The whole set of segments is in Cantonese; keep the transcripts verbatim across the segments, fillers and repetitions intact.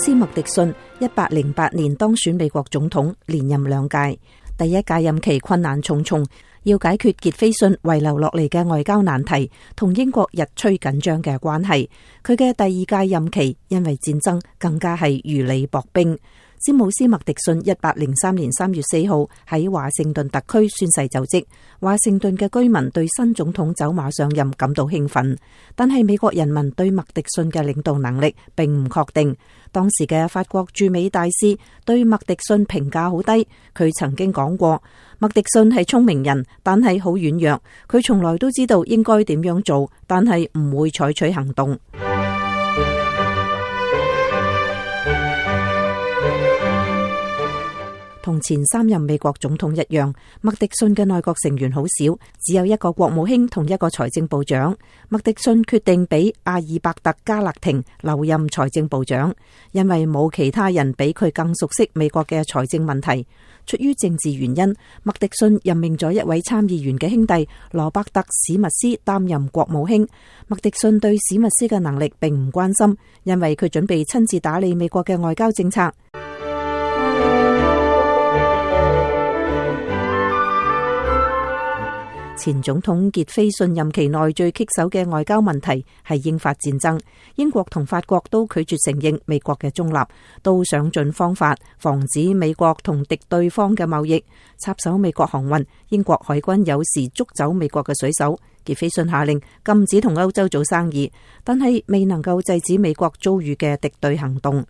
斯麥迪遜一八零八年當選美國總統，連任兩屆。第一屆任期困難重重，要解決傑斐遜遺留落嚟嘅外交難題，同英國日趨緊張嘅關係。佢嘅第二屆任期因為戰爭更加係如履薄冰。詹姆斯麥迪遜一八零三年三月四號喺華盛頓特區宣誓就職，華盛頓嘅居民對新總統走馬上任感到興奮，但係美國人民對麥迪遜嘅領導能力並唔確定。當時嘅法國駐美大使對麥迪遜評價好低，佢曾經講過，麥迪遜係聰明人，但係好軟弱，佢從來都知道應該點樣做，但係唔會採取行動。同前三任美國總統一樣，麥迪遜嘅內閣成員好少，只有一個國務卿同一個財政部長。麥迪遜決定俾阿爾伯特加勒廷留任財政部長，因為冇其他人比佢更熟悉美國嘅財政問題。出於政治原因，麥迪遜任命咗一位參議員嘅兄弟羅伯特史密斯擔任國務卿。麥迪遜對史密斯嘅能力並唔關心，因為佢準備親自打理美國嘅外交政策。前總統傑斐遜任期內最棘手嘅外交問題係英法戰爭，英國同法國都拒絕承認美國嘅中立，都想盡方法防止美國同敵對方嘅貿易，插手美國航運。英國海軍有時捉走美國嘅水手。傑斐遜下令禁止同歐洲做生意，但係未能夠制止美國遭遇嘅敵對行動。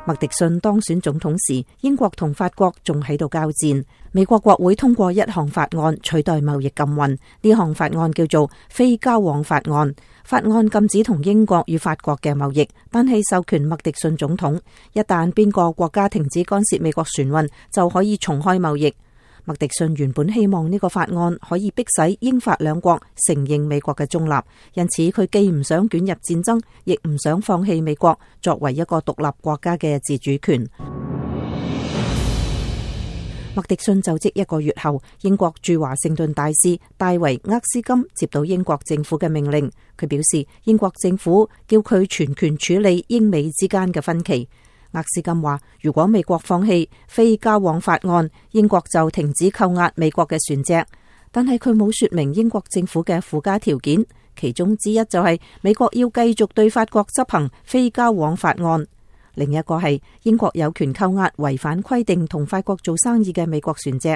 麥迪遜當選總統時，英國同法國仲喺度交戰。美國國會通過一項法案取代貿易禁運，呢項法案叫做非交往法案。法案禁止同英國與法國嘅貿易，但係授權麥迪遜總統，一旦邊個國家停止干涉美國船運，就可以重開貿易。麥迪遜原本希望呢個法案可以迫使英法兩國承認美國嘅中立，因此佢既唔想捲入戰爭，亦唔想放棄美國作為一個獨立國家嘅自主權。麥迪遜就職一個月後，英國駐華盛頓大使戴維厄斯金接到英國政府嘅命令，佢表示英國政府叫佢全權處理英美之間嘅分歧。厄斯金話，如果美國放棄非交往法案，英國就停止扣押美國嘅船隻。但係佢冇說明英國政府嘅附加條件，其中之一就係美國要繼續對法國執行非交往法案，另一個係英國有權扣押違反規定同法國做生意嘅美國船隻。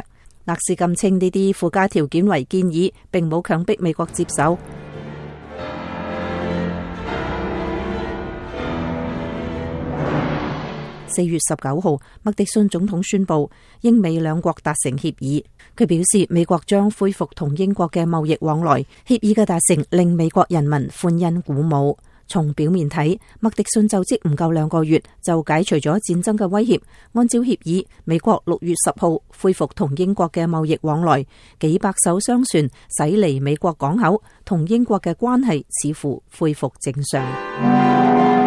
厄斯金稱呢啲附加條件為建議，並冇強迫美國接受。四月十九號，麥迪遜總統宣布英美兩國達成協議。佢表示美國將恢復同英國嘅貿易往來。協議嘅達成令美國人民歡欣鼓舞。從表面睇，麥迪遜就職唔夠兩個月就解除咗戰爭嘅威脅。按照協議，美國六月十號恢復同英國嘅貿易往來，幾百艘商船駛離美國港口，同英國嘅關係似乎恢復正常。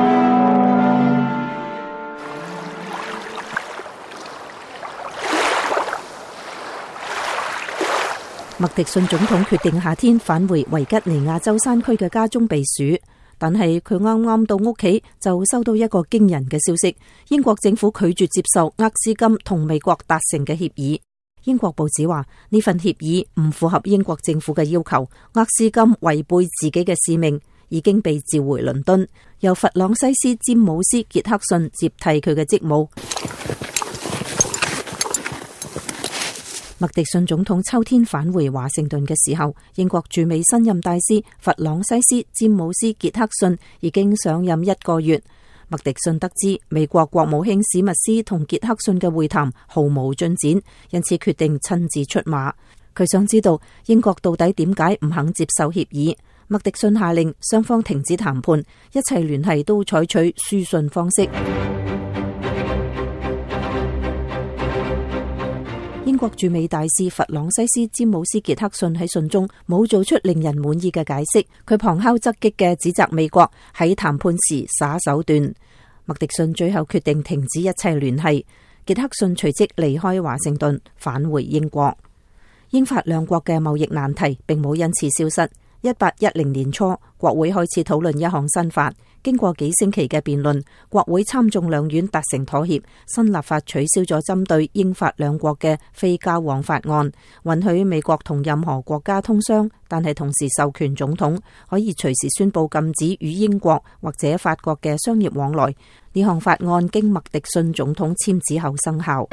麥迪遜總統決定夏天返回維吉尼亞州山區嘅家中避暑，但係佢啱啱到屋企就收到一個驚人嘅消息：英國政府拒絕接受厄斯金同美國達成嘅協議。英國報紙話呢份協議唔符合英國政府嘅要求，厄斯金違背自己嘅使命，已經被召回倫敦，由弗朗西斯詹姆斯傑克遜接替佢嘅職務。麥迪遜總統秋天返回華盛頓嘅時候，英國駐美新任大使弗朗西斯詹姆斯傑克遜已經上任一個月。麥迪遜得知美國國務卿史密斯同傑克遜嘅會談毫無進展，因此決定親自出馬。佢想知道英國到底點解唔肯接受協議。麥迪遜下令雙方停止談判，一切聯繫都採取書信方式。英國駐美大使弗朗西斯詹姆斯傑克遜喺信中冇做出令人滿意嘅解釋，佢旁敲側擊嘅指責美國喺談判時耍手段。麥迪遜最後決定停止一切聯繫，傑克遜隨即離開華盛頓返回英國。英法兩國嘅貿易難題並冇因此消失。一八一零年初，國會開始討論一項新法，經過幾星期嘅辯論，國會參眾兩院達成妥協，新立法取消咗針對英法兩國嘅非交往法案，允許美國同任何國家通商，但係同時授權總統可以隨時宣布禁止與英國或者法國嘅商業往來。呢項法案經麥迪遜總統簽字後生效。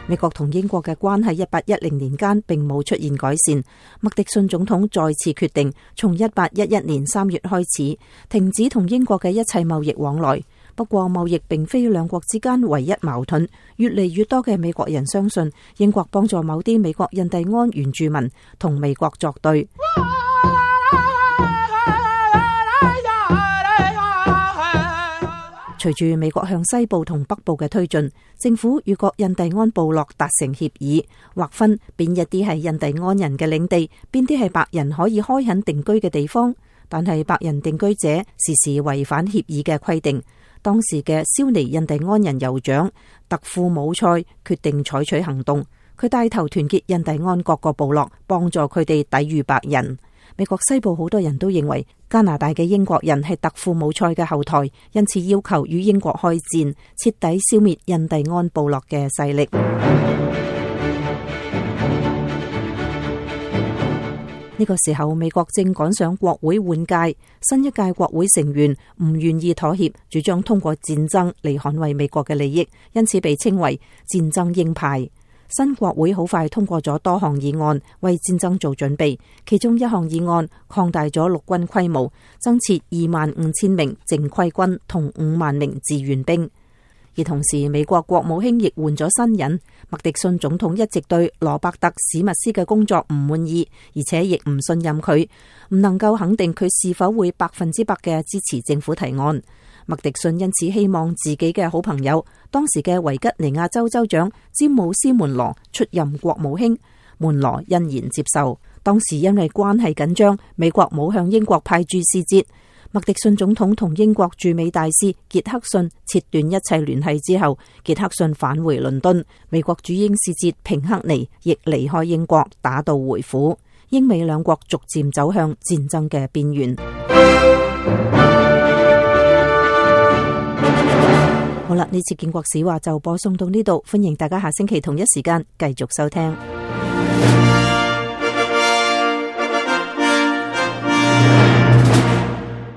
美國同英國嘅關係一八一零年間並冇出現改善。麥迪遜總統再次決定從一八一一年三月開始停止同英國嘅一切貿易往來。不過貿易並非兩國之間唯一矛盾，越嚟越多嘅美國人相信英國幫助某啲美國印第安原住民同美國作對。隨住美國向西部同北部嘅推進，政府與各印第安部落達成協議，劃分邊一啲係印第安人嘅領地，邊啲係白人可以開墾定居嘅地方。但係白人定居者時時違反協議嘅規定。當時嘅蕭尼印第安人酋長特庫姆塞決定採取行動，佢帶頭團結印第安各個部落，幫助佢哋抵禦白人。美國西部好多人都認為加拿大嘅英國人係特庫姆塞嘅後台，因此要求與英國開戰，徹底消滅印第安部落嘅勢力。呢個時候，美國正趕上國會換屆，新一屆國會成員唔願意妥協，主張通過戰爭嚟捍衛美國嘅利益，因此被稱為戰爭鷹派。新國會好快通過咗多項議案，為戰爭做準備。其中一項議案擴大咗陸軍規模，增設二萬五千名正規軍同五萬名志願兵。而同時，美國國務卿亦換咗新人。麥迪遜總統一直對羅伯特史密斯嘅工作唔滿意，而且亦唔信任佢，唔能夠肯定佢是否會百分之百嘅支持政府提案。麥迪遜因此希望自己嘅好朋友，當時嘅維吉尼亞州州長詹姆斯門羅出任國務卿，門羅欣然接受。當時因為關係緊張，美國冇向英國派駐使節。麥迪遜總統同英國駐美大使傑克遜切斷一切聯繫之後，傑克遜返回倫敦，美國駐英使節平克尼亦離開英國，打道回府。英美兩國逐漸走向戰爭嘅邊緣。好啦，呢次建國史話就播送到呢度，歡迎大家下星期同一時間繼續收聽。